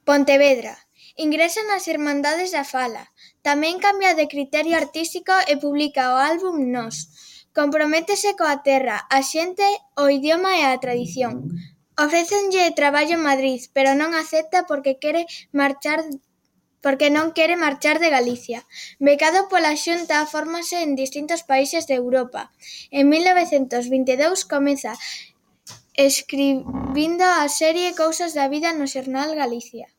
Pontevedra. Ingresa nas Irmandades da Fala. Tamén cambia de criterio artístico e publica o álbum Nós. Comprométese coa terra, a xente, o idioma e a tradición. Ofrécenlle traballo en Madrid, pero non acepta porque non quere marchar de Galicia. Becado pola Xunta, fórmase en distintos países de Europa. En 1922 comeza escribindo a serie Cousas da vida no xornal Galicia.